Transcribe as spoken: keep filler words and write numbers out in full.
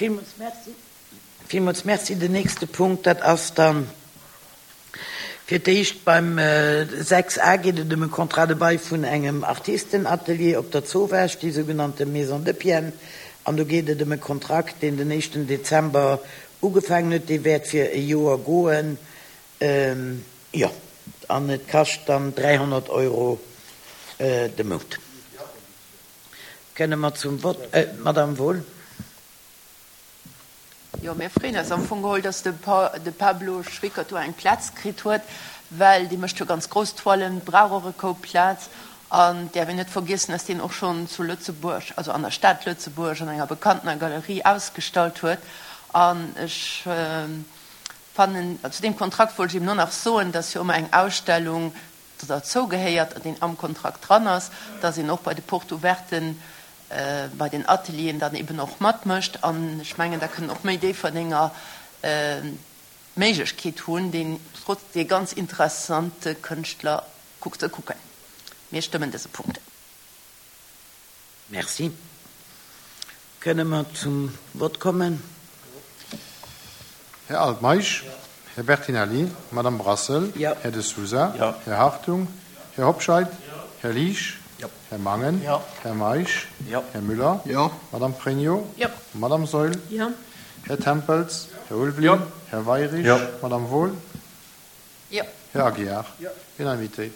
Villmools Merci. Villmools Merci. Den nächste Punkt, dat ass dann fir d'éischt beim sechs a geet et ëm e Contrat de bail vun engem Artistenatelier op der Zowaasch, déi sougenannte Maison de Pienne. An do geet et ëm e Kontrakt, deen den éischten Dezember ugefaangen huet. Dee wäert fir e Joer goen. Jo, an et kascht dann dräihonnert Euro de Mount. Kënne mer zum Vott, Madame Wohl? Jo, mir freeën eis am Fong geholl, dass de Pablo Schwickert do eng Plaz kritt huet, well dee mécht jo ganz grouss Toilen, brauch och e Koup Plaz. An et däerf een net vergiessen, dass deen och schonn zu Lëtzebuerg, also an der Stad Lëtzebuerg, an enger bekanntener Galerie ausgestallt huet. An ech fannen, zu deem Kontrakt wollt ech eben och nach soen, dass jo ëmmer eng Ausstellung derzou gehéiert, deen am Kontrakt dran ass, dass een och bei de Portes ouverten, bei den Atelieren dann eben och matmécht. An ech mengen, da kënnen och méi Déifferdenger d'Méiglechkeet hunn, deen trotz dee ganz interessante Kënschtler ze kucken. Mir stëmmen dëse Punkt. Merci. Kënne mer zum Vott kommen? Här Altmeisch, Här Bertinelli, Madame Brassel, Här De Sousa, Här Hartung, Här Hobscheit, Här Liesch, Här Mangen, Här Meisch, Här Müller, Madame Pregno, Madame Saeul, Här Tempels, Här Ulveling, Här Weyrich, Madame Wohl, Här Aguiar. Unanimitéit.